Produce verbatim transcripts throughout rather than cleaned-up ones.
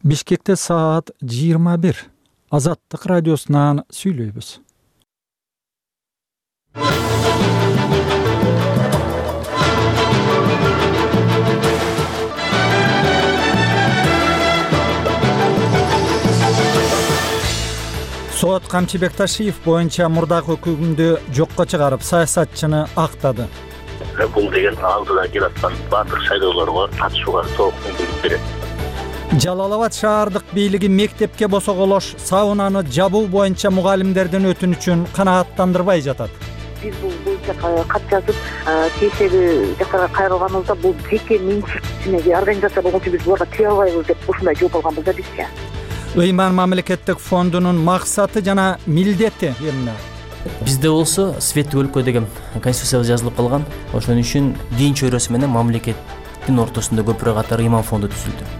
Бишкекте саат жыйырма бир. Азаттык радиосунан сүйлөйбүз. Сот Камчыбек Ташиев боюнча мурдагы өкүмдү жокко чыгарып, саясатчыны актады. Бул деген алдыдан келаткан баардык шайлоолорго катышууга толук мүмкүнлүк берет. Жалал-Абад шаардык бийлиги мектепке босоголош саунаны жабуу боюнча мугалимдердин өтүнүчүн канааттандырбай жатат. Биз бул боюнча кат жазып, тиешелүү жактарга кайрылганыбызда бул жеке менчикчине организация болгон үчүн биз буларга тие албайбыз деп ушундай жооп алганбыз да бизче. Ыйман мамлекеттик фондунун максаты жана милдети эмне? Бизде болсо светтик өлкө деген конституцияда жазылып калган. Ошон үчүн дин чөйрөсү менен мамлекеттин ортосунда көпүрө катары ыйман фонду түзүлдү.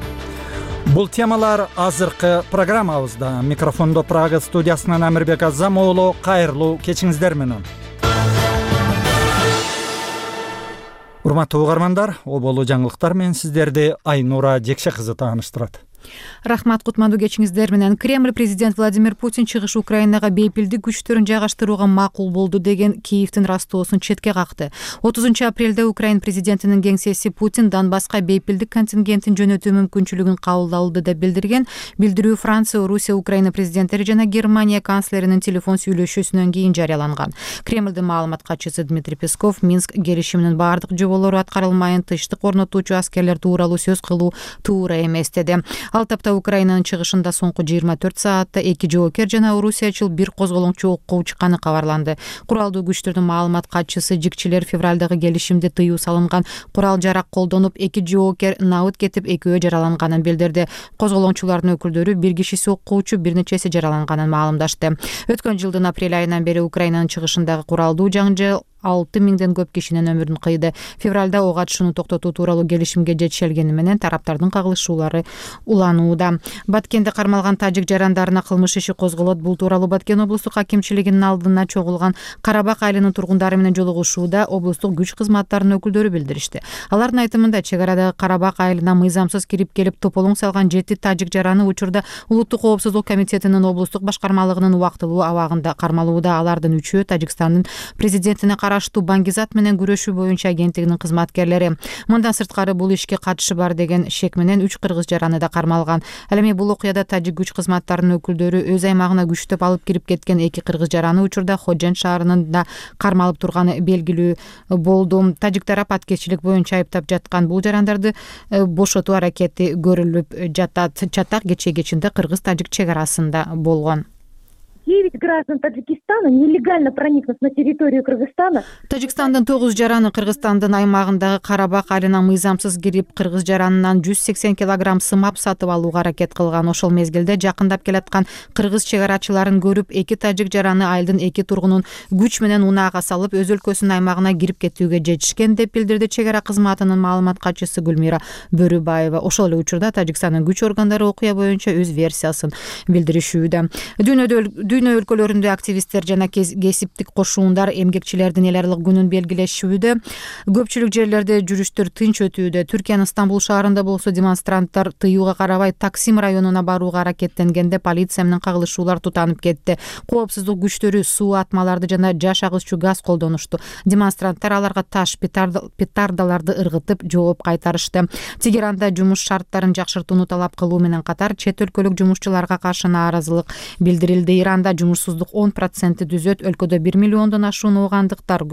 Бул темалар азыркы программабызда. Микрофондо Прага студиясынан Амирбек Азам уулу, кайрылуу кечиңиздер менен. Урматтуу угармандар, оболу жаңылыктар менен сиздерди Айнура Жекше кызы тааныштырат. Рахмат, кутмандуу кечиңиздер менен. Кремль президент Владимир Путин чыгыш Украинага бейпилдик күчтөрүн жайгаштырууга макул болду деген Киевдин растоосун четке какты. отузунчу апрелде Украин президентинин кеңсеси Путин Донбасска бейпилдик контингентин жөнөтүү мүмкүнчүлүгүн кабыл алды деп билдирген. Билдирүү Франция, Русия, Украина президенттери жана Германия канцлеринин телефон сүйлөшүүсүнөн кийин жарыяланган. Кремлдин маалымат катчысы Дмитрий Песков Минск келишиминин баардык жоболору аткарылмайын, тынчтык орнотуучу аскерлер тууралуу сөз кылуу туура эмес деди. Ал тапта Украинанын чыгышында соңку жыйырма төрт саатта эки жоокер жана орусиячыл бир козголоңчу окко учканы кабарланды. Куралдуу күчтөрдүн маалымат катчысы жикчилер февралдагы келишимде тыюу салынган курал жарак колдонуп, эки жоокер набыт кетип, экөө жараланганын билдирди. Козголоңчулардын өкүлдөрү бир кишиси окуучу, бир нечеси жараланганын маалымдашты. Өткөн жылдын апрель айынан бери Украинанын чыгышындагы куралдуу жаңжал алты миңден көп кишинин өмүрүн кыйды. Февралда ок атышууну токтотуу тууралуу келишимге жетишилгени менен тараптардын кагылышуулары уланууда. Баткенде кармалган тажик жарандарына кылмыш иши козголот. Бул тууралуу Баткен облустук акимчилигинин алдына чогулган Карабак айылынын тургундары менен жолугушууда облустук күч кызматтарынын өкүлдөрү билдиришти. Алардын айтымында чек арадагы Карабак айылына мыйзамсыз кирип келип тополоң салган жети тажик жараны учурда Улуттук коопсуздук комитетинин облустук башкармалыгынын убактылуу абагында кармалууда. Алардын үчөө Тажикстандын президентине караштуу Баңгизат менен күрөшүү боюнча агенттигинин кызматкерлери. Мындан сырткары бул ишке катышы бар деген шек менен үч кыргыз жараны да кармалган. Ал эми бул окуяда тажик күч кызматтарынын өкүлдөрү өз аймагына күчтөп алып кирип кеткен эки кыргыз жараны учурда Ходжент шаарында кармалып турганы белгилүү болду. Тажик тарап аткезчилик боюнча айыптап жаткан бул жарандарды бошотуу аракети көрүлүп жатат. Чатак кечээ кечинде кыргыз-тажик чек арасында болгон. девять граждан Таджикистана нелегально проникнув на территорию Кыргызстана. Тажикстандын тогуз жараны Кыргызстандын аймагындагы Карабак айылына мыйзамсыз кирип, кыргыз жаранынан жүз сексен килограмм сымап сатып алууга аракет кылган. Ошол мезгилде жакындап келаткан кыргыз чек арачыларын көрүп, эки тажик жараны айылдын эки тургунун күч менен унаага салып, өз өлкөсүнүн аймагына кирип кетүүгө жетишкен деп билдирди чек ара кызматынын маалымат катчысы Гүлмира Бөрүбаева. Ошол эле учурда Тажикстандын күч органдары окуя боюнча өз версиясын билдиришүүдө. Дүйнөдө Дүйнө өлкөлөрүндө активисттер жана кесиптик кошуундар эмгекчилердин эл аралык күнүн белгилешүүдө. Көпчүлүк жерлерде жүрүштөр тынч өтүүдө. Түркиянын Стамбул шаарында болсо демонстранттар тыюуга карабай Таксим районуна барууга аракеттенгенде полиция менен кагылышуулар тутанып кетти. Коопсуздук күчтөрү суу атмаларды жана жаш агызчу газ колдонушту. Демонстранттар аларга таш, петардаларды ыргытып жооп кайтарышты. Тегеранда жумуш шарттарын жакшыртууну талап кылуу менен катар чет өлкөлүк жумушчуларга каршы нааразылык билдирилди. Иранда жумушсуздук он процентти түзөт. Өлкөдө бир миллиондон ашуун оогандыктар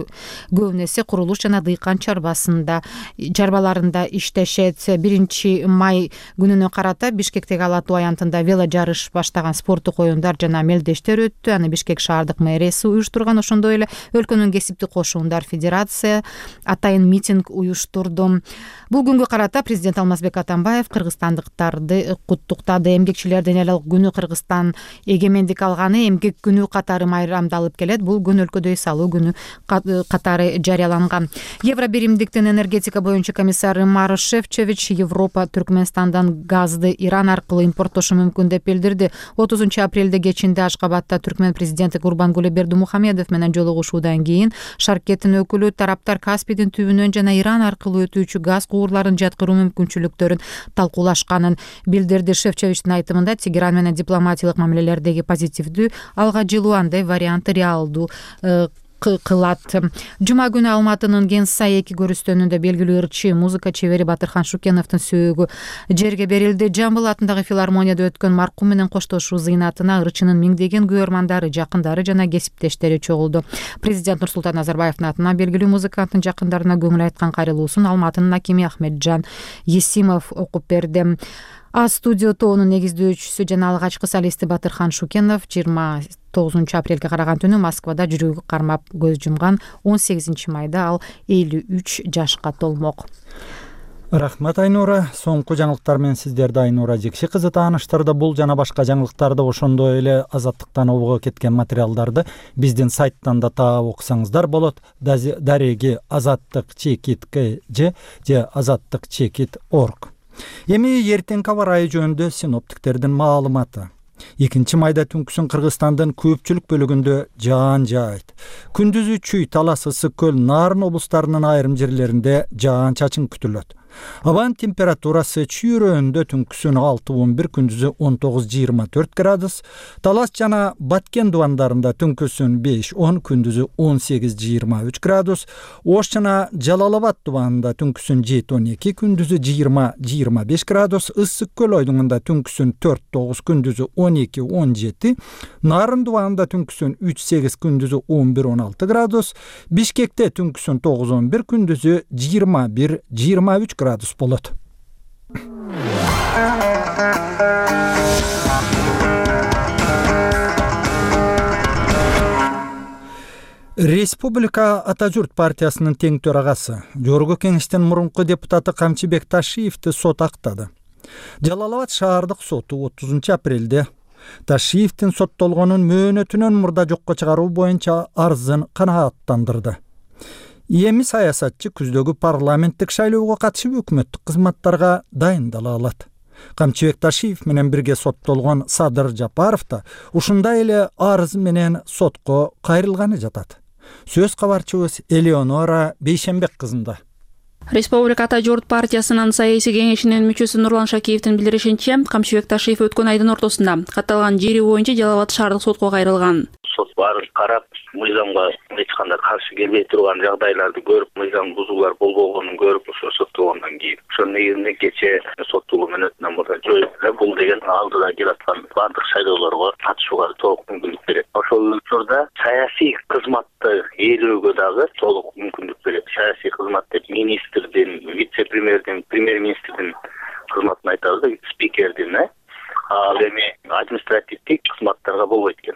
көбүнесе курулуш жана дыйкан чарбасында чарбаларында иштешет. биринчи май күнүнө карата Бишкектеги Ала Тоо аянтында вело жарыш баштаган спорттук оюндар жана мелдештер өттү. Аны Бишкек шаардык мэриясы уюштурган. Ошондой эле өлкөнүн кесиптик кошуундар федерация атайын митинг уюштурду. Бул күнгө карата президент Алмазбек Атамбаев кыргызстандыктарды куттуктады. Эмгекчилердин эл аралык күнү Кыргызстан эгемендик алганы күнү эмгек күнү катары майрамдалып келет. Бул күн өлкөдө эс алуу күнү катары жарыяланган. Евробиримдиктин энергетика боюнча комиссары Марош Шефчович Европа Түркмөнстандан газды Иран аркылуу импорттошу мүмкүн деп билдирди. отузунчу апрелде кечинде Ашкабадта Түркмөн президенти Гурбангулы Бердимухамедов менен жолугушуудан кийин Шаркеттин өкүлү тараптар Каспийдин түбүнөн жана Иран аркылуу өтүүчү газ кубурларын жаткыруу мүмкүнчүлүктөрүн талкуулашканын билдирди. Шефчовичтин айтымында Тегеран менен дипломатиялык мамилелердеги позитивдүү, алга жылуу андай варианты реалдуу кылат. Жума күнү Алматынын Генсай эки көрүстөнүндө белгилүү ырчы музыка чебери Батырхан Шукеновдун сөөгү жерге берилди. Жамбыл атындагы филармонияда өткөн маркум менен коштошуу зыйнатына ырчынын миңдеген күйөрмандары, жакындары жана кесиптештери чогулду. Президент Нурсултан Назарбаевдин атынан белгилүү музыканттын жакындарына көңүл айткан кайрылуусун Алматынын акими Ахметжан Есимов окуп берди. А студио тоонун негиздөөчүсү жана алгачкы солисти Батырхан Шукенов жыйырма тогузунчу апрелге караган түнү Москвада жүрөгү кармап көз жумган. он сегизинчи майда ал элүү үч жашка толмок. Рахмат Айнура. Соңку жаңылыктар менен сиздерди Айнура Жекши кызы тааныштырды. Бул жана башка жаңылыктарды ошондой эле Азаттыктан обого кеткен материалдарды биздин сайттан да таап окусаңыздар болот. Дареги азаттык чекит кж же азаттык чекит орг. Эми эртеңки аба ырайы жөнүндө синоптиктердин маалыматы. экинчи майда түнкүсүн Кыргызстандын көпчүлүк бөлүгүндө жаан жаайт. Күндүзү Чүй, Талас, Ысык көл, Нарын облустарынын айрым жерлеринде жаан чачын күтүлөт. Абанын температурасы Чүй өрөөнүндө түнкүсүн алты он бир, күндүзү он тогуз жыйырма төрт градус, Талас жана Баткен дубандарында түнкүсүн беш он, күндүзү он сегиз жыйырма үч градус, Ош жана Жалал Абад дубанында түнкүсүн жети он эки, күндүзү жыйырма жыйырма беш градус, Ысык көл ойдуңунда түнкүсүн төрт тогуз, күндүзү он эки он жети, Нарын дубанында түнкүсүн үч сегиз, күндүзү он бир он алты градус, Бишкекте түнкүсүн тогуз он бир, күндүзү жыйырма бир жыйырма үч градус болот. Республика Ата журт партиясынын тең төрагасы, Жогорку Кеңештин мурунку депутаты Камчыбек Ташиевди сот актады. Жалал Абад шаардык соту отузунчу апрелде Ташиевдин соттолгонун мөөнөтүнөн мурда жокко чыгаруу боюнча арызын канааттандырды. Эми саясатчы күздөгү парламенттик шайлоого катышып өкмөттүк кызматтарга дайындала алат. Камчыбек Ташиев менен бирге соттолгон Садыр Жапаров да ушундай эле арыз менен сотко кайрылганы жатат. Сөз кабарчыбыз Элеонора Бейшенбек кызында. Республика Ата журт партиясынын саясий кеңешинин мүчөсү Нурлан Шакиевдин билдиришинче, Камчыбек Ташиев өткөн айдын ортосунда катталган жери боюнча Жалал Абад шаардык сотко кайрылган. Сот баарын карап, мыйзамга эч кандай каршы келбей турган жагдайларды көрүп, мыйзам бузуулар болбогонун көрүп, ошо соттолгондон кийин ошонун негизинде кече соттолуу мөөнөтүнөн мурда жоюп, бул деген алдыда келаткан бардык шайлоолорго катышууга толук мүмкүндүк берет. Ошол учурда саясий кызматты ээлөөгө дагы толук мүмкүндүк берет. Саясий кызмат деп министрдин, вице-премьердин, премьер-министрдин кызматын айтабыз, спикердин, ал эми административдик кызматтарга болбойт экен.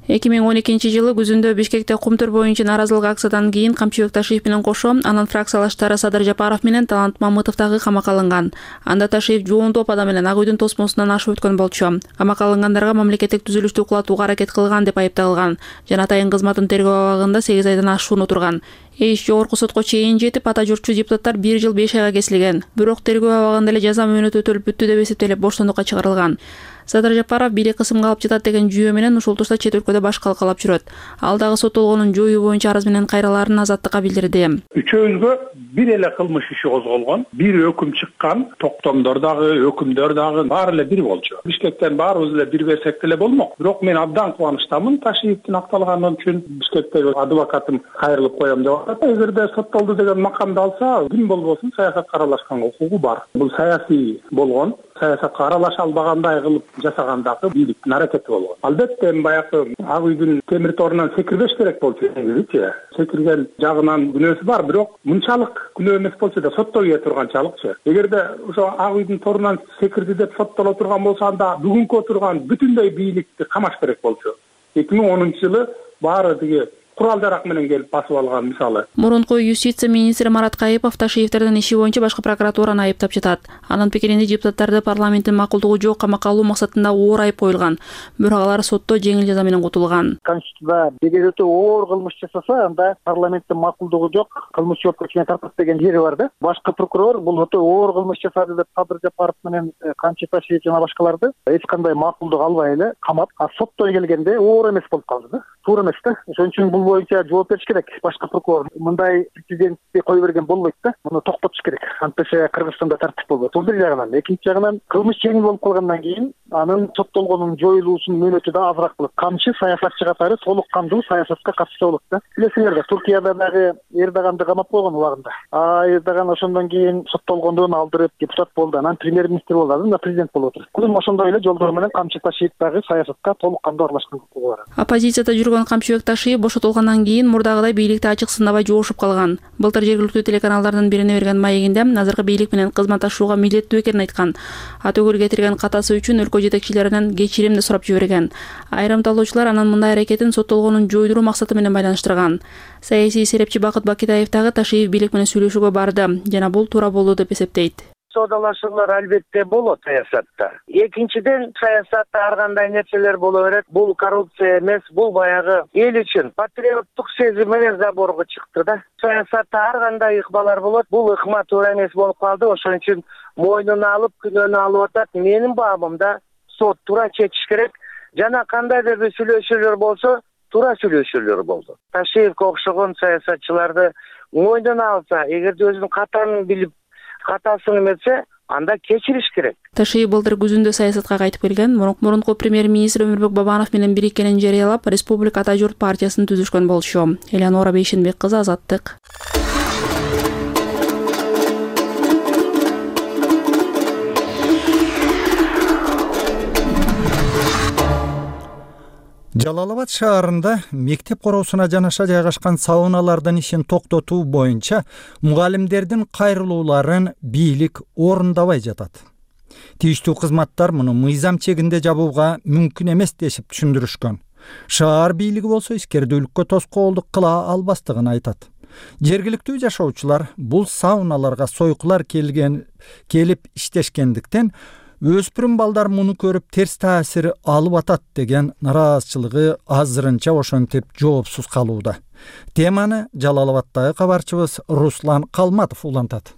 эки миң он экинчи жылы күзүндө Бишкекте кумтур боюнча нааразылык акциядан кийин Камчыбек Ташиев менен кошо анын фракциялаштары Садыр Жапаров менен Талант Мамытов дагы камакка алынган. Анда Ташиев жоон топ адам менен Ак үйдүн тосмосунан ашып өткөн болчу. Камакка алынгандарга мамлекеттик түзүлүштү кулатууга аракет кылган деп айыпталган. Жана атайын кызматын тергөө абагында сегиз айдан ашуун отурган. Иш жогорку сотко чейин жетип, ата журтчу депутаттар бир жыл беш айга кесилген. Бирок тергөө абагында эле жаза мөөнөтү өтөлүп бүттү деп эсептелип боштондукка чыгарылган. Садыр Жапаров бийлик кысымга алып жатат деген жүйө менен ушул тушта чет өлкөдө баш калкалап жүрөт. Ал дагы соттолгонун жоюу боюнча арыз менен кайралаарын Азаттыкка билдирди. Үчөөбүзгө бир эле кылмыш иши козголгон, бир өкүм чыккан, токтомдор дагы, өкүмдөр дагы баары эле бир болчу. Бишкектен баарыбыз эле бир берсек деле болмок. Бирок мен абдан кубанычтамын Ташиевдин акталганы үчүн. Бишкектеги адвокатым кайрылып коем деп атат. Эгерде соттолду деген макамды алса, ким болбосун саясатка аралашканга укугу бар. Бул саясий болгон, саясатка аралаша албагандай кылып жасагандагы бийликтин аракети болгон. Албетте баягы Ак үйдүн темир торунан секирбеш керек болчу негизичи. Секирген жагынан күнөөсү бар, бирок мынчалык күнөө эмес болчу да соттолбой турганчалыкчы. Эгерде ошо Ак үйдүн торунан секирди деп соттоло турган болсо, анда бүгүнкү отурган бүтүндөй бийликти камаш керек болчу. эки миң онунчу жылы баары тиги курал жарак менен келип басып алган мисалы. Мурунку юстиция министри Марат Кайыпов Ташиевтердин иши боюнча башкы прокуратураны айыптап жатат. Анын пикиринде депутаттарды парламенттин макулдугу жок камакка алуу максатында оор айып коюлган, бирок алар сотто жеңил жаза менен кутулган. Конституцияда эгер өтө оор кылмыш жасаса, анда парламенттин макулдугу жок, кылмыш жоопкерчиликке тартат деген жери бар да. Башкы прокурор бул өтө оор кылмыш жасады деп Кадыр Жапаров менен Камчы Ташиев жана башкаларды эч кандай макулдук албай эле камап, а сотто келгенде оор эмес болуп калды да. Туура эмес да. Ошон үчүн бул боюнча жооп бериш керек. Башкы прокурор мындай президентти кое берген болбойт да. Муну токтотуш керек. Антише Кыргызстанда тартип болбойт. Бул бир жагынан, экинчи жагынан кылмыш жеңил болуп калгандан кийин анын соттолгонун жоюлуусунун мөөнөтү да азыраак болот. Камчы саясатчы катары толук кандуу саясатка катышса болот да. Билесиңер да, Туркияда дагы Эрдоганды камап койгон убагында. А Эрдоган ошондон кийин соттолгондон алдырып депутат болду, анан премьер-министр болду, анан президент болуп отур. Кудум ошондой эле жолдор менен Камчы Ташиев дагы саясатка толук кандуу аралашкан укугу бар. Оппозицияда жүргөн Камчыбек Ташиев бошотулгандан кийин мурдагыдай бийликти ачык сындабай жоошуп калган. Былтыр жергиликтүү телеканалдардын бирине берген маегинде азыркы бийлик менен кызматташууга милдеттүү экенин айткан. Атөгүл кетирген катасы үчүн өлкө жетекчилеринен кечирим да сурап жиберген. Айрым талоочулар анын мындай аракетин соттолгонун жойдуруу максаты менен байланыштырган. Саясий серепчи Бакыт Бакитаев дагы Ташиев бийлик менен сүйлөшүүгө барды жана бул туура болду деп эсептейт. Соодалашуулар албетте болот саясатта. Экинчиден, саясатта ар кандай нерселер боло берет. Бул коррупция эмес, бул баягы эл үчүн патриоттук сезим менен заборго чыкты да. Саясатта ар кандай ыкмалар болот. Бул ыкма туура эмес болуп калды. Ошон үчүн мойнуна алып, күнөөнү алып атат. Менин баамымда сот туура чечиш керек. Жана кандайдыр бир сүйлөшүүлөр болсо, туура сүйлөшүүлөр болду. Ташиевке окшогон саясатчыларды мойнуна алса, эгерде өзүнүн катарын билип катасын эметсе, анда кечириш керек. Ташиев былтыр күзүндө саясатка кайтып келген, мурунку премьер-министр Өмүрбек Бабанов менен бириккенин жарыялап, Республика Ата журт партиясын түзүшкөн болчу. Элеонора Бейшенбек кызы, Азаттык. Жалал Абад шаарында мектеп короосуна жанаша жайгашкан сауналардын ишин токтотуу боюнча мугалимдердин кайрылууларын бийлик орундабай жатат. Тийиштүү кызматтар муну мыйзам чегинде жабууга мүмкүн эмес дешип түшүндүрүшкөн. Шаар бийлиги болсо ишкердүүлүккө тоскоолдук кыла албастыгын айтат. Жергиликтүү жашоочулар бул сауналарга сойкулар келген келип иштешкендиктен өспүрүм балдар муну көрүп терс таасир алып атат деген нараазычылыгы азырынча ошентип жоопсуз калууда. Теманы Жалал Абадтагы кабарчыбыз Руслан Калматов улантат.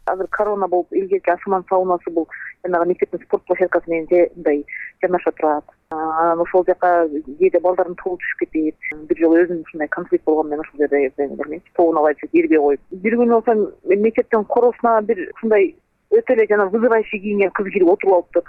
Азыр корона болуп илгерки Асман саунасы бул жанагы мектептин спорт площадкасы менен мындай жанаша турат. Анан ошол жака кээде балдардын тобу түшүп кетип, бир жолу өзүм ушундай конфликт болгон менен ошол жерде билмейм, тобун алып ирбей коюп. Бир күнү болсо мектептин короосуна бир ушундай өтө эле жана вызывающий кийинген кыз кирип отуруп алыптыр.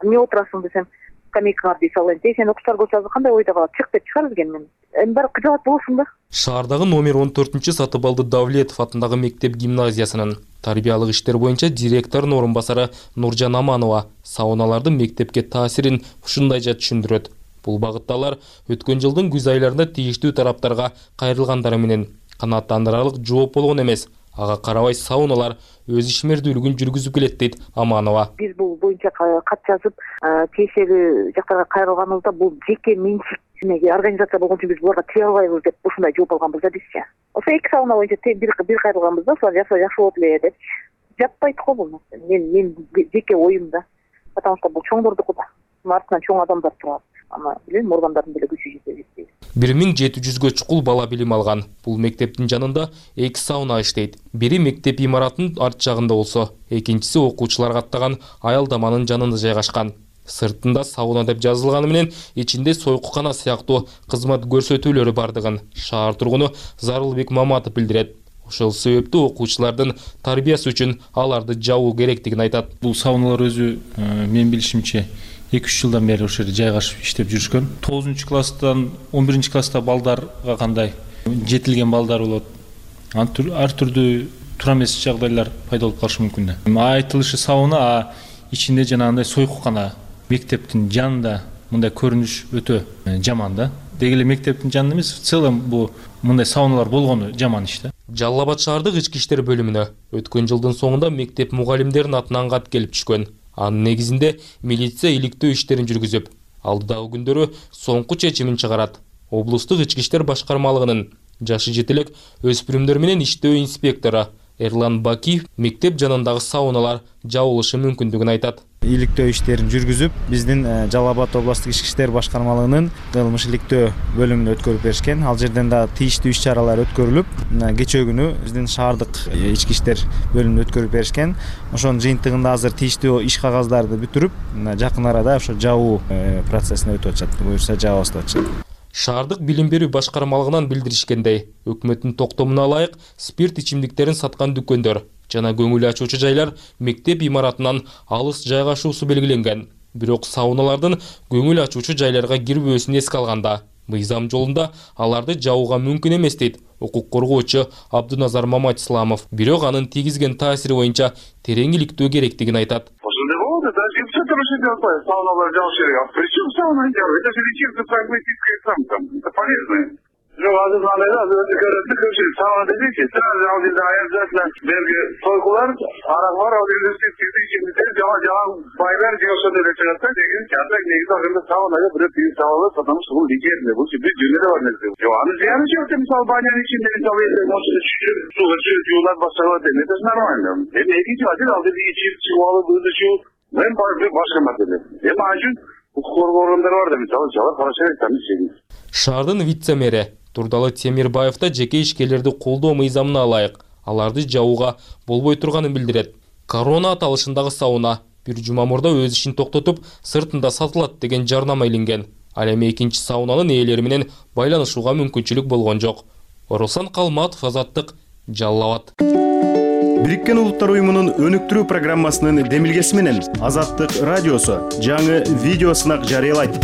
Эмне отурасың десем, скамейкага деп салайын. Сен окуштар болсо кандай ойдо калат? Чык деп чыгарып келген мен. Эми барып кыжалат болосуң да. Шаардагы номер он төртүнчү Сатыбалды Давлетов атындагы мектеп гимназиясынын тарбиялык иштер боюнча директорунун орун басары Нуржан Аманова сауналардын мектепке таасирин ушундайча түшүндүрөт. Бул багытта алар өткөн жылдын күз айларында тийиштүү тараптарга кайрылгандары менен канааттандырарлык жооп болгон эмес. Ага карабай сауналар өз ишмердүүлүгүн жүргүзүп келет дейт Аманова. Биз бул боюнча кат жазып, тиешелүү жактарга кайрылганыбызда бул жеке менчик организация болгон үчүн биз буларга тие албайбыз деп ушундай жооп алганбыз да бизчи. Ошо эки сауна боюнча бир бир кайрылганбыз да, ошолар жакшы жакшы болот эле деп. Жаппайт го бул. Мен мен жеке оюм да. Потому что бул чоңдордуку да. Артынан чоң адамдар турат. Ама билем, органдардын деле күчү жетпейт. бир миң жети жүзгө чукул бала билим алган. Бул мектептин жанында эки сауна иштейт. Бири мектеп имаратынын арт жагында болсо, экинчиси окуучулар каттаган аялдаманын жанында жайгашкан. Сыртында сауна деп жазылганы менен ичинде сойкукана сыяктуу кызмат көрсөтүүлөрү бардыгын шаар тургуну Зарылбек Маматов билдирет. Ошол себептүү окуучулардын тарбиясы үчүн аларды жабуу керектигин айтат. Бул сауналар өзү мен билишимче эки үч жылдан бери ошол жерде жайгашып иштеп жүрүшкөн. тогузунчу класстан он биринчи класста балдарга кандай жетилген балдар болот. Ар түрдүү туура эмес жагдайлар пайда болуп калышы мүмкүн да. Айтылышы сауна, а ичинде жанагындай сойкукана. Мектептин жанында мындай көрүнүш өтө жаман да. Деги эле мектептин жанында эмес, в целом бул мындай сауналар болгону жаман иш да. Жалал Абад шаардык ички иштер бөлүмүнө өткөн жылдын соңунда мектеп мугалимдеринин атынан кат келип түшкөн. Анын негизинде милиция иликтөө иштерин жүргүзүп, алдыдагы күндөрү соңку чечимин чыгарат. облустук ички иштер башкармалыгынын жашы жетелек өспүрүмдөр менен иштөө инспектору Эрлан Бакиев мектеп жанындагы сауналар жабылышы мүмкүндүгүн айтат. Иликтөө иштерин жүргүзүп, биздин Жалал Абад областык ички иштер башкармалыгынын кылмыш иликтөө бөлүмүнө өткөрүп беришкен. Ал жерден да тийиштүү иш-чаралар өткөрүлүп, кечээ күнү биздин шаардык ички иштер бөлүмүнө өткөрүп беришкен. Ошонун жыйынтыгында азыр тийиштүү иш кагаздарды бүтүрүп, жакын арада ошо жабуу процессине өтүп атышат. Буюрса жабабыз деп атышат. Шаардык билим берүү башкармалыгынан билдиришкендей, өкмөттүн токтомуна ылайык спирт ичимдиктерин саткан дүкөндөр жана көңүл ачуучу жайлар мектеп имаратынан алыс жайгашуусу белгиленген. Бирок сауналардын көңүл ачуучу жайларга кирбөөсүн эске алганда, мыйзам жолунда аларды жабууга мүмкүн эмес дейт укук коргоочу Абдуназар Маматисламов. Бирок анын тийгизген таасири боюнча терең иликтөө керектигин айтат. Сауналар жабыш керек. Причем сауна делать? Это же лечебно прагматическая самка. Это полезно. Ну, азыр кандай да, өзү көрөт, көпчүлүк сауна десейчи, сразу ал жерде обязательно берги сойкулар, арак бар, ал жерде спирттик ичимдиктер, жаман жаман байлар же ошондой эле чыгат да, деген чатак негизи акырында саунага бирөө тыюу салабыз, потому что бул лечебный, бул бир жөнүндө бар нерсе. Жок, анын зыяны жок, мисалы банянын ичинде мисалы мошуну түшүрүп, суга түшүрүп жуулап башталат, это же нормально. Эми экинчи маселе ал жерде ичип чыгып алып, өзү чыгып, мен башка маселе. Эми ал үчүн укук коргоо органдары бар да, мисалы жалар карашы керек, тамиз. Шаардын вице-мэри Турдалы Темирбаев да жеке ишкерлерди колдоо мыйзамына ылайык аларды жабууга болбой турганын билдирет. Корона аталышындагы сауна бир жума мурда өз ишин токтотуп, сыртында сатылат деген жарнама илинген. Ал эми экинчи саунанын ээлери менен байланышууга мүмкүнчүлүк болгон жок. Орусан Калматов, Азаттык, Жалал Абад. Бириккен Улуттар уюмунун өнүктүрүү программасынын демилгеси менен Азаттык радиосу жаңы видео сынак жарыялайт.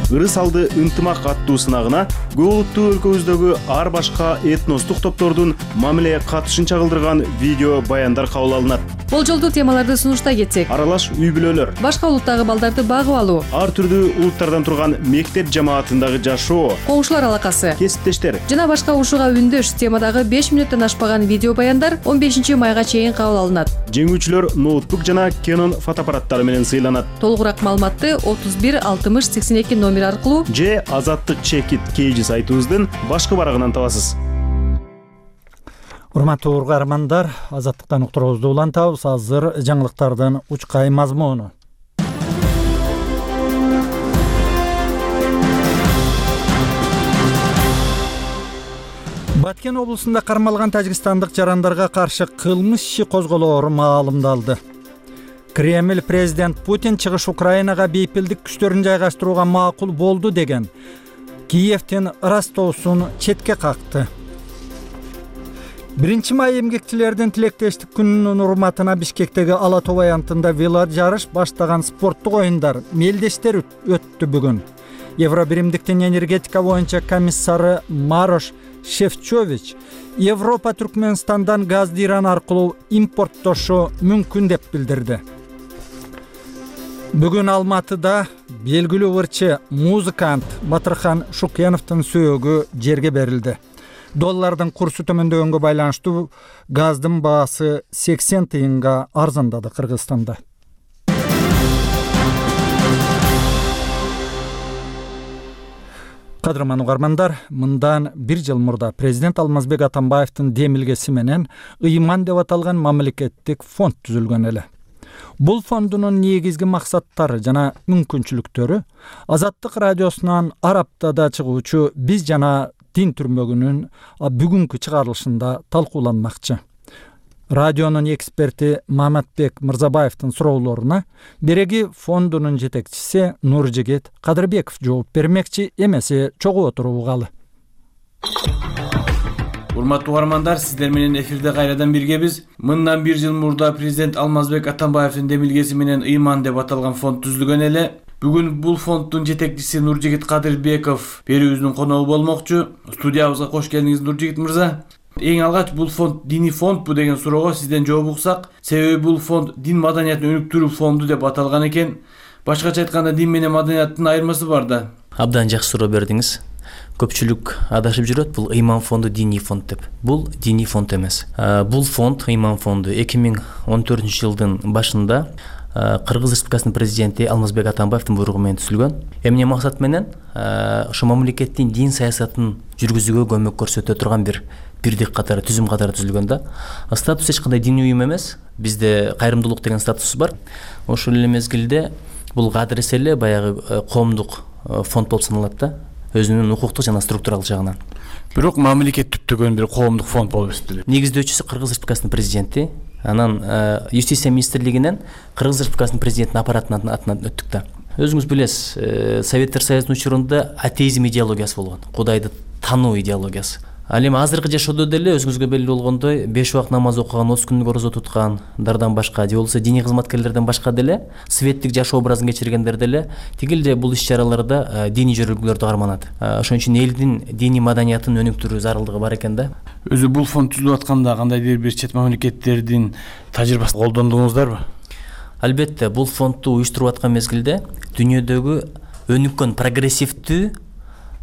Ырыс алды ынтымак аттуу сынагына көп улуттуу өлкөбүздөгү ар башка этностук топтордун мамиле катышын чагылдырган видео баяндар кабыл алынат. Болжолдуу темаларды сунуштай кетсек, аралаш үй бүлөлөр, башка улуттагы балдарды багып алуу, ар түрдүү улуттардан турган мектеп жамаатындагы жашоо, коңшулар алакасы, кесиптештер жана башка ушуга үндөш темадагы беш мүнөттөн ашпаган видео баяндар он бешинчи майга чейин кабыл алынат. Жеңүүчүлөр ноутбук жана Canon фотоаппараттары менен сыйланат. Толугураак маалыматты отуз бир алтымыш сексен эки номер аркылуу же Азаттык чекит кейжи сайтыбыздын башкы барагынан табасыз. Урматтуу угармандар, Азаттыктан уктуруубузду улантабыз. Азыр жаңылыктардын учкай мазмуну. Баткен облусунда кармалган тажикстандык жарандарга каршы кылмыш иши козголоору маалымдалды. Кремль президент Путин чыгыш Украинага бейпилдик күчтөрүн жайгаштырууга макул болду деген Киевдин Ростовсун четке какты. биринчи май эмгекчилердин тилектештик күнүнүн урматына Бишкектеги Ала тоо аянтында веложарыш баштаган спорттук оюндар мелдештер өттү бүгүн. Евробиримдиктин энергетика боюнча комиссары Марош Шефчович Европа Түркмөнстандан газды Иран аркылуу импорттошу мүмкүн деп билдирди. Бүгүн Алматыда белгилүү ырчы музыкант Батырхан Шукеновдун сөөгү жерге берилди. Доллардын курсу төмөндөгөнгө байланыштуу газдын баасы сексен тыйынга арзандады Кыргызстанда. Кадырман угармандар, мындан бир жыл мурда президент Алмазбек Атамбаевдин демилгеси менен ыйман деп аталган мамлекеттик фонд түзүлгөн эле. Бул фондунун негизги максаттары жана мүмкүнчүлүктөрү Азаттык радиосунан ар аптада чыгуучу Биз жана Дин түрмөгүнүн бүгүнкү чыгарылышында талкууланмакчы. Радионун эксперти Маматбек Мырзабаевдин суроолоруна Береги фондунун жетекчиси Нуржигит Кадырбеков жооп бермекчи, эмесе чогуу отуругалы. Урматтуу угармандар, сиздер менен эфирде кайрадан биргебиз. Мындан бир жыл мурда президент Алмазбек Атамбаевдин демилгеси менен ыйман деп аталган фонд түзүлгөн эле. Бүгүн бул фонддун жетекчиси Нуржигит Кадырбеков берүүбүздүн коногу болмокчу. Студиябызга кош келдиңиз, Нуржигит мырза. Эң алгач бул фонд диний фондбу деген суроого сизден жооп уксак, себеби бул фонд дин маданиятын өнүктүрүү фонду деп аталган экен. Башкача айтканда дин менен маданияттын айырмасы бар да. Абдан жакшы суроо бердиңиз. Көпчүлүк адашып жүрөт, бул ыйман фонду диний фонд деп. Бул диний фонд эмес. Бул фонд, ыйман фонду эки миң он төртүнчү жылдын башында Кыргыз Республикасынын президенти Алмазбек Атамбаевдин буйругу менен түзүлгөн. Эмне максат менен ошо мамлекеттин дин саясатын жүргүзүүгө көмөк көрсөтө турган бир бирдик катары, түзүм катары түзүлгөн да. Статус эч кандай диний уюм эмес. Бизде кайрымдуулук деген статус бар. Ошол эле мезгилде бул кадыресе эле баягы коомдук фонд болуп саналат да, өзүнүн укуктук жана структуралык жагынан. Бирок мамлекет түптөгөн бир коомдук фонд болуп эсептелет. Негиздөөчүсү Кыргыз Республикасынын президенти, анан Юстиция министрлигинен Кыргыз Республикасынын президентинин аппаратынын атынан өттүк да. Өзүңүз билесиз, Советтер Союзунун учурунда атеизм идеологиясы болгон, Кудайды тануу идеологиясы. Ал эми азыркы жашоодо деле өзүңүзгө белгилүү болгондой беш убакыт намаз окуган, отуз күндүк орозо туткандардан башка, же болбосо диний кызматкерлерден башка деле светтик жашоо образын кечиргендер деле тигилде бул иш-чараларда диний жөрөлгөлөрдү карманат. Ошон үчүн элдин диний маданиятын өнүктүрүү зарылдыгы бар экен да. Өзү бул фонд түзүлүп атканда кандайдыр бир чет мамлекеттердин тажрыйбасын колдондуңуздарбы? Албетте, бул фондду уюштуруп аткан мезгилде дүйнөдөгү өнүккөн прогрессивдүү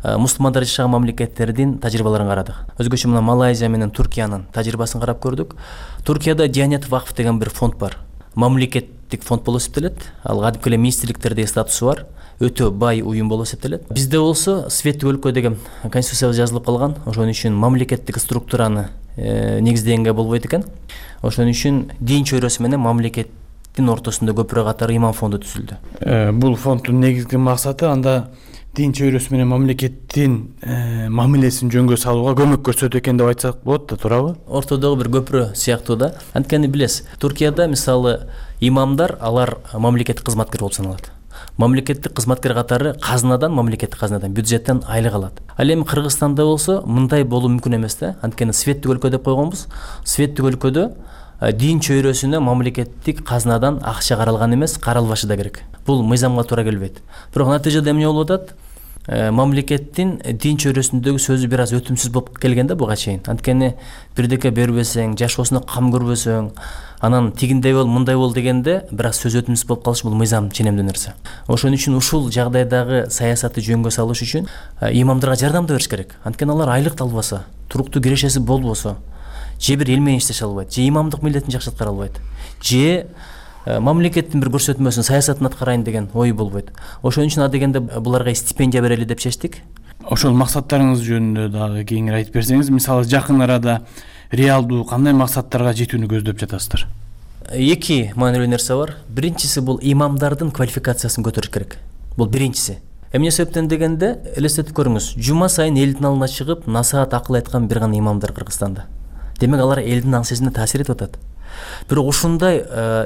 мусулмандар жашаган мамлекеттердин тажрыйбаларын карадык. Өзгөчө мына Малайзия менен Туркиянын тажрыйбасын карап көрдүк. Туркияда Диянет вакф деген бир фонд бар. Мамлекеттик фонд болуп эсептелет. Ал кадимки эле министрликтердеги статусу бар. Өтө бай уюм болуп эсептелет. Бизде болсо светтик өлкө деген конституцияда жазылып калган. Ошон үчүн мамлекеттик структураны негиздегенге болбойт экен. Ошон үчүн дин чөйрөсү менен мамлекеттин ортосунда көпүрө катары иман фонду түзүлдү. Бул фонддун негизги максаты анда дин чөйрөсү менен мамлекеттин мамилесин жөнгө салууга көмөк көрсөтүү экен деп айтсак болот да, туурабы? Ортодогу бир көпүрө сыяктуу да. Анткени билесиз, Туркияда мисалы имамдар алар мамлекеттик кызматкер болуп саналат. Мамлекеттик кызматкер катары казынадан, мамлекеттик казынадан, бюджеттен айлык алат. Ал эми Кыргызстанда болсо мындай болуу мүмкүн эмес да. Анткени светтик өлкө деп койгонбуз. Светтик өлкөдө дин чөйрөсүнө мамлекеттик казынадан акча каралган эмес, каралбашы да керек. Бул мыйзамга туура келбейт. Бирок натыйжада эмне болуп атат? Мамлекеттин дин чөйрөсүндөгү сөзү бир аз өтүмсүз болуп келген да буга чейин. Анткени бирдеке бербесең, жашоосуна кам көрбөсөң, анан тигиндей бол, мындай бол дегенде бир аз сөз өтүмсүз болуп калышы бул мыйзам ченемдүү нерсе. Ошон үчүн ушул жагдайдагы саясатты жөнгө салыш үчүн имамдарга жардамды бериш керек. Анткени алар айлык албаса, туруктуу кирешеси болбосо, же бир эл менен иштеше албайт, же имамдык милдетин жакшы аткара албайт, же мамлекеттин бир көрсөтмөсүн, саясатын аткарайын деген ой болбойт. Ошон үчүн адегенде буларга стипендия берели деп чечтик. Ошол максаттарыңыз жөнүндө дагы кеңири айтып берсеңиз, мисалы жакын арада реалдуу кандай максаттарга жетүүнү көздөп жатасыздар? Эки маанилүү нерсе бар. Биринчиси бул имамдардын квалификациясын көтөрүш керек. Бул биринчиси. Эмне себептен дегенде, элестетип көрүңүз, жума сайын элдин алдына чыгып насаат акыл айткан бир гана имамдар Кыргызстанда. Демек алар элдин аң сезимине таасир этип атат. Бирок ушундай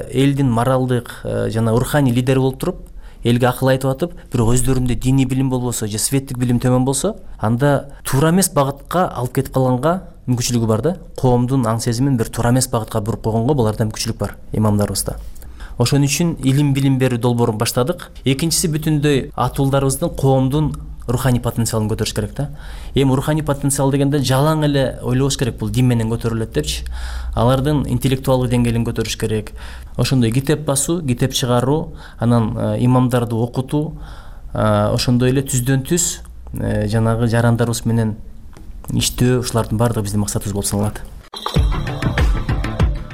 элдин моралдык жана руханий лидери болуп туруп, элге акыл айтып атып, бирок өздөрүндө диний билим болбосо, же светтик билим төмөн болсо, анда туура эмес багытка алып кетип калганга мүмкүнчүлүгү бар да. Коомдун аң сезимин бир туура эмес багытка буруп койгонго буларда мүмкүнчүлүк бар имамдарыбызда. Ошон үчүн илим билим берүү долбоорун баштадык. Экинчиси бүтүндөй атуулдарыбыздын коомдун руханий потенциалын көтөрүш керек да. Эми руханий потенциал дегенде жалаң эле ойлобош керек, бул дин менен көтөрүлөт депчи. Алардын интеллектуалдык деңгээлин көтөрүш керек. Ошондой китеп басуу, китеп чыгаруу, анан имамдарды окутуу, ошондой эле түздөн түз жанагы жарандарыбыз менен иштөө, ушулардын баардыгы биздин максатыбыз болуп саналат.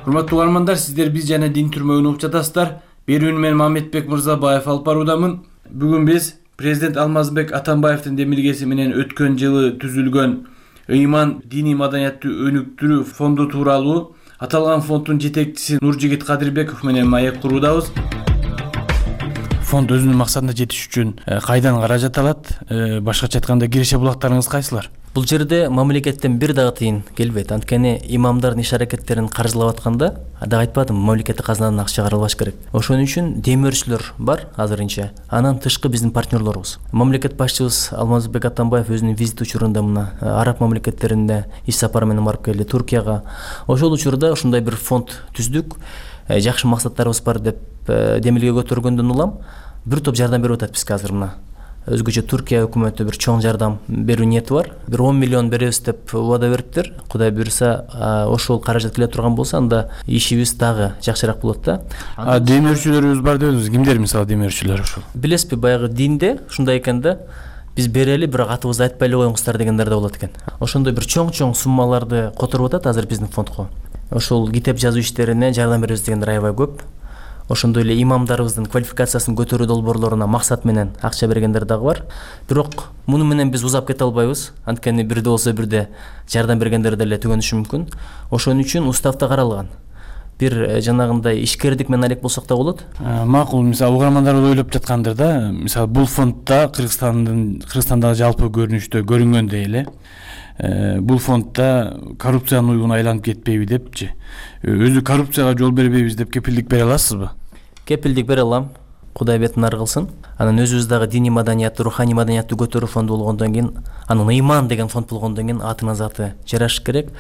Урматтуу угармандар, сиздер биз жана дин түрмөгүн угуп жатасыздар. Берүүнү мен Мамедбек Мырзабаев алып баруудамын. Бүгүн биз Президент Алмазбек Атамбаевдин демилгеси менен өткөн жылы түзүлгөн ыйман диний маданиятты өнүктүрүү фонду тууралуу аталган фонддун жетекчиси Нуржигит Кадырбеков менен маек куруудабыз. Фонд өзүнүн максатына жетиш үчүн кайдан каражат алат? Башкача айтканда киреше булактарыңыз кайсылар? Бул жерде мамлекеттен бир дагы тыйын келбейт. Анткени имамдардын иш-аракеттерин каржылап атканда, ада айтпадым, мамлекеттик казынадан акча каралбаш керек. Ошон үчүн демөөрчүлөр бар азырынча. Анан тышкы биздин партнерлорубуз. Мамлекет башчыбыз Алмазбек Атамбаев өзүнүн визит учурунда мына араб мамлекеттерине иш сапары менен барып келди, Туркияга. Ошол учурда ушундай бир фонд түздүк. Жакшы максаттарыбыз бар деп демилге көтөргөндөн улам бир топ жардам берип атат бизге азыр мына. Өзгөчө Туркия өкмөтү бир чоң жардам берүү ниети бар. бир он миллион беребиз деп убада бериптир. Кудай буйрса, ошол каражат келе турган болсо, анда ишибиз дагы жакшыраак болот да. А демөөрчүлөрүбүз бар дедиңиз. Кимдер мисалы демөөрчүлөр ошол? Билесизби, баягы динде ушундай экен да. Биз берели, бирок атыбызды айтпай эле коюңуздар дегендер да болот экен. Ошондой бир чоң-чоң суммаларды которуп атат азыр биздин фондго. Ошол китеп жазуу иштерине жардам беребиз дегендер аябай көп. ошондой эле имамдарыбыздын квалификациясын көтөрүү долбоорлоруна максат менен акча бергендер дагы бар. Бирок муну менен биз узап кете албайбыз. Анткени бирде болсо бирде жардам бергендер деле түгөнүшү мүмкүн. Ошон үчүн уставда каралган. Бир жанагындай ишкердик менен алек болсок да болот. Макул, мисалы угармандар ойлоп жаткандыр да, мисалы бул фондда Кыргызстандын Кыргызстандагы жалпы көрүнүштө көрүнгөндөй эле бул фондда коррупциянын уюгуна айланып кетпейби депчи. Өзү коррупцияга жол бербейбиз деп кепилдик бере аласызбы? Кепилдик бере алам. Кудай бетин ары кылсын. Анан өзүбүз дагы диний маданиятты, руханий маданиятты көтөрүү фонду болгондон кийин, анын ыйман деген фонд болгондон кийин атына заты жарашыш керек.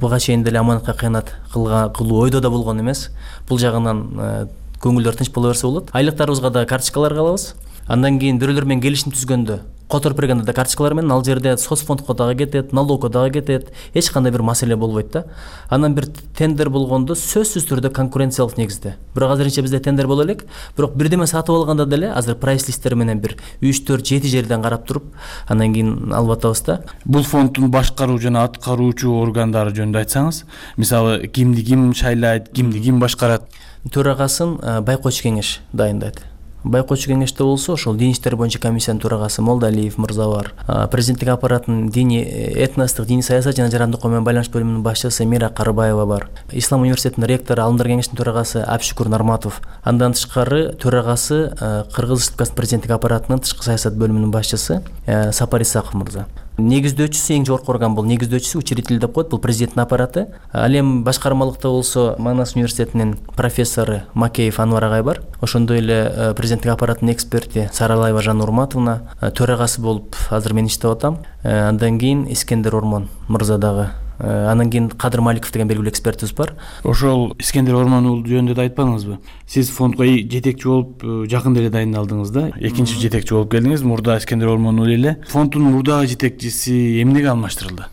Буга чейин деле аманатка кыянат кылуу ойдо да болгон эмес. Бул жагынан көңүлдөр тынч боло берсе болот. Айлыктарыбызга да карточкалар алабыз. Андан кийин бирөөлөр менен келишим түзгөндө которуп бергенде да карточкалар менен ал жерде соцфондко дагы кетет, налогко дагы кетет. Эч кандай бир маселе болбойт да. Анан бир тендер болгондо сөзсүз түрдө конкуренциялык негизде. Бирок азырынча бизде тендер боло элек, бирок бирдеме сатып алганда деле азыр прайс листтер менен бир үч төрт жети жерден карап туруп, андан кийин алып атабыз да. Бул фонддун башкаруу жана аткаруучу органдары жөнүндө айтсаңыз, мисалы кимди ким шайлайт, кимди ким башкарат? Төрагасын байкоочу кеңеш дайындайт. Байкоочу кеңеште болсо ошол дин иштери боюнча комиссиянын төрагасы Молдалиев мырза бар. Президенттик аппараттын диний этностук диний саясат жана жарандык менен байланыш бөлүмүнүн башчысы Мира Карыбаева бар. Ислам университетинин ректору Алымдар кеңешинин төрагасы Абшүкүр Нарматов. Андан тышкары төрагасы Кыргыз Республикасынын президенттик аппаратынын тышкы саясат бөлүмүнүн башчысы Сапар Исаков мырза. Негиздөөчүсү, эң жогорку орган бул негиздөөчүсү, учредитель деп коет, бул президенттин аппараты. Ал эми башкармалыкта болсо Манас университетинин профессору Макеев Анвар агай бар. Ошондой эле президенттик аппараттын эксперти Саралаева Жанна Урматовна, төрагасы болуп азыр мен иштеп атам. Андан кийин Искендер Ормон мырза дагы. Анан кийин Кадыр Маликов деген белгилүү экспертибиз бар. Ошол Искендер Ормон уулу жөнүндө да айтпадыңызбы? Сиз фондго жетекчи болуп жакында эле дайындалдыңыз да. Экинчи жетекчи болуп келдиңиз. Мурда Искендер Ормон уулу эле. Фонддун мурдагы жетекчиси эмнеге алмаштырылды?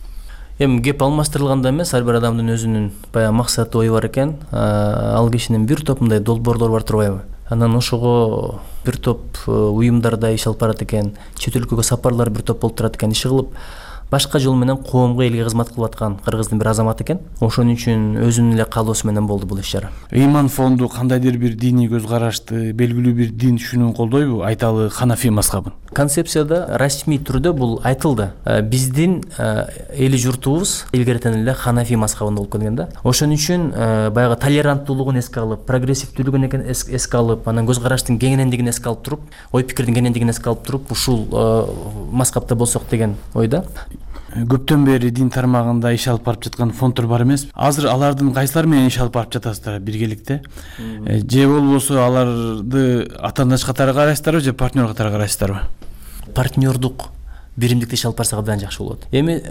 Эми кеп алмаштырылганда эмес, ар бир адамдын өзүнүн баягы максаты, ою бар экен. Ал кишинин бир топ мындай долбоорлору бар турбайбы? Анан ошого бир топ уюмдарда иш алып барат экен, чет өлкөгө сапарлар бир топ болуп турат экен, иши кылып башка жол менен коомго, элге кызмат кылып аткан кыргыздын бир азаматы экен. Ошон үчүн өзүнүн эле каалоосу менен болду бул иш-чара. Ыйман фонду кандайдыр бир диний көз карашты, белгилүү бир дин түшүнүүн колдойбу? Айталы Ханафи мазхабын. Концепцияда расмий түрдө бул айтылды. Биздин эли журтубуз илгертен эле Ханафи мазхабында болуп келген да. Ошон үчүн баягы толеранттуулугун эске алып, прогрессивдүүлүгүн эске алып, анан көз караштын кеңенендигин эске алып туруп, ой пикирдин кеңенендигин эске алып туруп, ушул мазхабта болсок деген ойда. Көптөн бери дин тармагында иш алып барып жаткан фонддор бар эмес? Азыр алардын кайсылар менен иш алып барып жатасыздар биргеликте? Же болбосо аларды атаандаш катары карайсыздарбы, же партнер катары карайсыздарбы? Партнердук биримдикте иш алып барсак абдан жакшы болот. Эми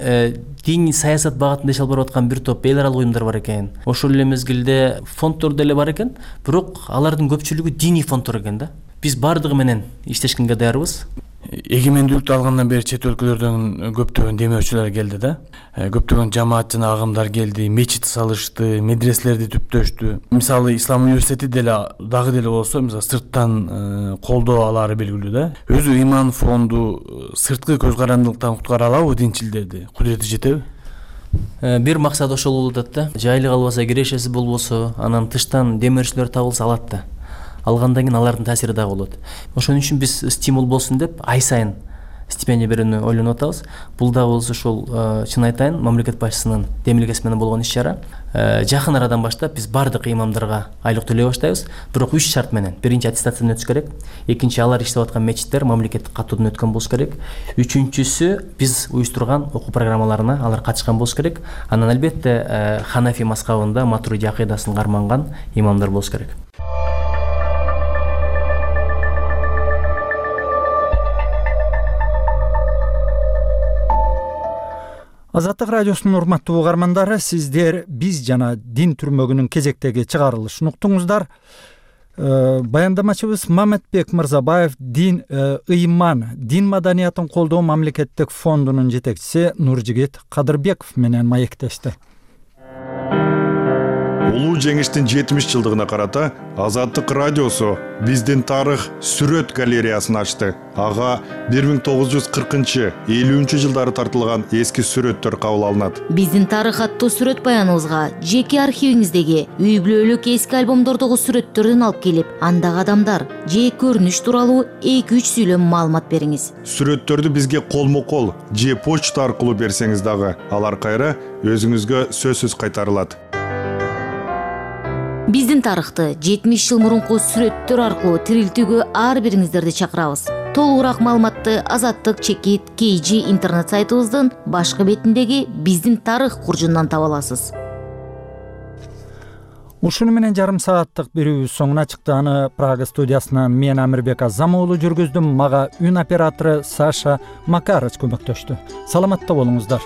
диний саясат багытында иш алып барып аткан бир топ эл аралык уюмдар бар экен. Ошол эле мезгилде фонддор деле бар экен, бирок алардын көпчүлүгү диний фонддор экен да. Биз бардыгы менен иштешкенге даярбыз. Эгемендүүлүктү алгандан бери чет өлкөлөрдөн көптөгөн демөөрчүлөр келди да. Көптөгөн жамаат жана агымдар келди, мечит салышты, медреселерди түптөштү. Мисалы Ислам университети деле дагы деле болсо, мисалы сырттан колдоо алары белгилүү да. Өзү ыйман фонду сырткы көз карандылыктан куткара алабы динчилдерди? Кудурети жетеби? Бир максат ошол болуп атат да. Жайлык албаса, кирешеси болбосо, анан тыштан демөөрчүлөр табылса алат да. Алгандан кийин алардын таасири дагы болот. Ошон үчүн биз стимул болсун деп ай сайын стипендия берүүнү ойлонуп атабыз. Бул да болсо ошол чын айтайын, мамлекет башчысынын демилгеси менен болгон иш-чара. Жакын арадан баштап биз бардык имамдарга айлык төлөй баштайбыз. Бирок үч шарт менен. Биринчи аттестациядан өтүш керек. Экинчи алар иштеп аткан мечиттер мамлекеттик каттоодон өткөн болуш керек. Үчүнчүсү биз уюштурган окуу программаларына алар катышкан болуш керек. Анан албетте Ханафи мазхабында Матуриди акыйдасын карманган имамдар болуш керек. Азаттык радиосунун урматтуу угармандары, сиздер биз жана дин түрмөгүнүн кезектеги чыгарылышын уктуңуздар. Баяндамачыбыз Маматбек Мырзабаев дин ыйман дин маданиятын колдоо мамлекеттик фондунун жетекчиси Нуржигит Кадырбеков менен маектешти. улуу жеңиштин жетимиш жылдыгына карата Азаттык радиосу биздин тарых сүрөт галереясын ачты. Ага бир миң тогуз жүз кыркынчы элүүнчү жылдары тартылган эски сүрөттөр кабыл алынат. Биздин тарых аттуу сүрөт баяныбызга жеке архивиңиздеги үй бүлөлүк эски альбомдордогу сүрөттөрдөн алып келип, андагы адамдар же көрүнүш тууралуу эки үч сүйлөм маалымат бериңиз. Сүрөттөрдү бизге колмо-кол же почта аркылуу берсеңиз дагы алар кайра өзүңүзгө сөзсүз кайтарылат. Биздин тарыхты жетимиш жыл мурунку сүрөттөр аркылуу тирилтүүгө ар бириңиздерди чакырабыз. Толугураак маалыматты Азаттык чекит кей жи интернет сайтыбыздын башкы бетиндеги биздин тарых куржундан таба аласыз. Ушуну менен жарым сааттык берүүбүз соңуна чыкты. Аны Прага студиясынан мен Амирбек Азамоğlu жүргүздүм. Мага үн оператору Саша Макарыч көмөктөштү. Саламатта болуңуздар.